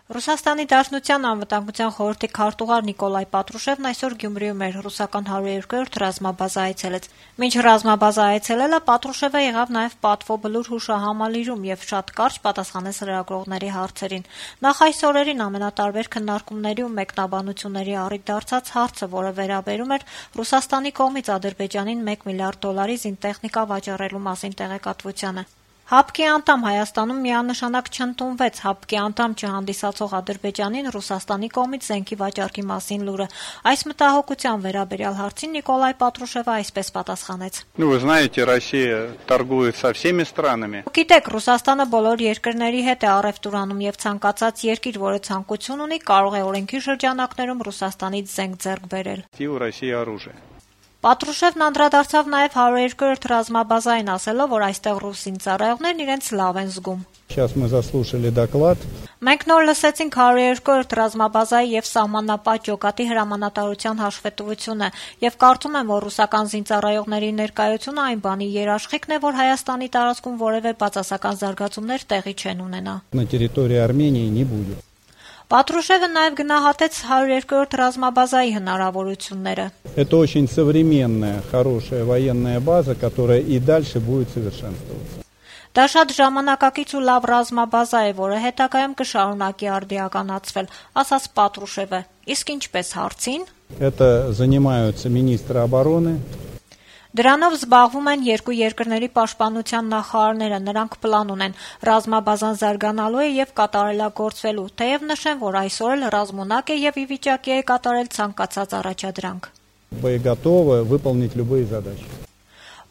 Ռուսաստանի Դաշնության անվտանգության խորհրդի քարտուղար Նիկոլայ Պատրուշևն այսօր Գյումրիում էր ռուսական 102-րդ ռազմաբազա այցելեց։ Մինչ ռազմաբազա այցելելը Պատրուշևը եղավ նաև Պատվո բլուր հուշահամալիրում եւ շատ կարճ պատասխանեց լրագրողների հարցերին։ Նախ այս օրերին ամենատարբեր քննարկումների ու մեկնաբանությունների առիթ դարձած հարցը, որը վերաբերում էր Ռուսաստանի կողմից Ադրբեջանին $1 միլիարդ զինտեխնիկա վաճառելու մասին տեղեկատվությանը։ ՀԱՊԿ-ի անդամ Հայաստանում միանշանակ չընդունվեց ՀԱՊԿ-ի անդամ չհանդիսացող Ադրբեջանին Ռուսաստանի կողմից զենքի վաճառքի մասին լուրը։ Այս մտահոգության վերաբերյալ հարցին Նիկոլայ Պատրուշևը այսպես պատասխանեց. Вы знаете, Россия торгует со всеми странами. Գիտեք, Ռուսաստանը բոլոր երկրների հետ է առևտուր անում եւ ցանկացած երկիր, որը ցանկություն ունի, կարող է օրենքի շրջանակներում Ռուսաստանից զենք ձեռք բերել։ У России оружие. Պատրուշևն անդրադարձավ նաև 102-րդ ռազմաբազային, ասելով, որ այստեղ ռուս զինծառայողներն իրենց լավ են զգում։ Сейчас мы заслушали доклад. Մենք նոր լսեցինք 102-րդ ռազմաբազայի եւ սահմանապատ ջոկատի հրամանատարության հաշվետվությունը եւ կարծում եմ, որ ռուսական զինծառայողների ներկայությունը այն բանի երաշխիքն է, որ Հայաստանի տարածքում որևէ բացասական զարգացումներ տեղի չեն ունենա։ На территории Армении не будет. Պատրուշևը նաև գնահատեց 102-րդ ռազմաբազայի հնարավորությունները։ Это очень современная, хорошая военная база, которая и дальше будет совершенствоваться. Դա շատ ժամանակակից ու լավ ռազմաբազա է, որը հետագայում կշարունակի արդիականացվել, ասաց Պատրուշևը։ Իսկ ինչպես հարցին։ Это занимаются министры обороны. Դրանով զբաղվում են երկու երկրների պաշտպանության նախարարները, նրանք պլան ունեն, ռազմաբազան զարգանալու է եւ կատարելագործվելու, թեև նշեն, որ այսօր էլ ռազմունակ է եւ ի վիճակի է կատարել ցանկացած առաջադրանք։ Боеготовы выполнить любые задачи.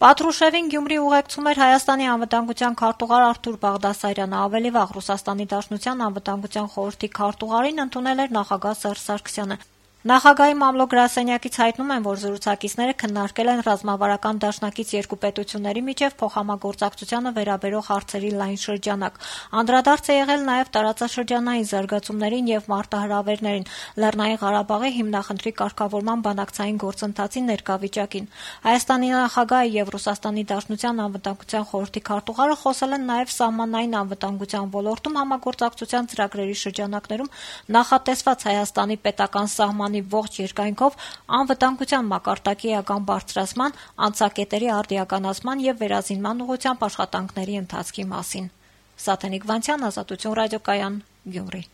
Պատրուշևին Գյումրի ուղեկցում էր Հայաստանի անվտանգության քարտուղար Արթուր Բաղդասարյանը, ավելի վաղ Ռուսաստանի Դաշնության անվտանգության խորհրդի քարտուղարին ընդունել էր նախագահ Սերժ Սարգսյանը։ Նախագահի մամլո գրասենյակից հայտնում են, որ զրուցակիցները քննարկել են ռազմավարական դաշնակից երկու պետությունների միջև փոխհամագործակցությանը վերաբերող հարցերի լայն շրջանակ։ Անդրադարձ է եղել նաև տարածաշրջանային զարգացումներին եւ մարտահրավերներին, Լեռնային Ղարաբաղի հիմնախնդրի կարգավորման բանակցային գործընթացի ներկա վիճակին։ Հայաստանի նախագահը եւ Ռուսաստանի Դաշնության անվտանգության խորհրդի քարտուղարը խոսել են նաև սահմանային անվտանգության ոլորտում համագործակցության ծրագրերի շրջանակներում նախատեսված Հայաստանի պետական սահմանի ողջ երկայնքով անվտանգության մակարդակի էական բարձրացման, անցակետերի արդիականացման եւ վերազինման ուղղությամբ աշխատանքների ընթացքի մասին։ Սաթենիկ Վանցյան, Ազատություն ռադիոկայան, Գյումրի։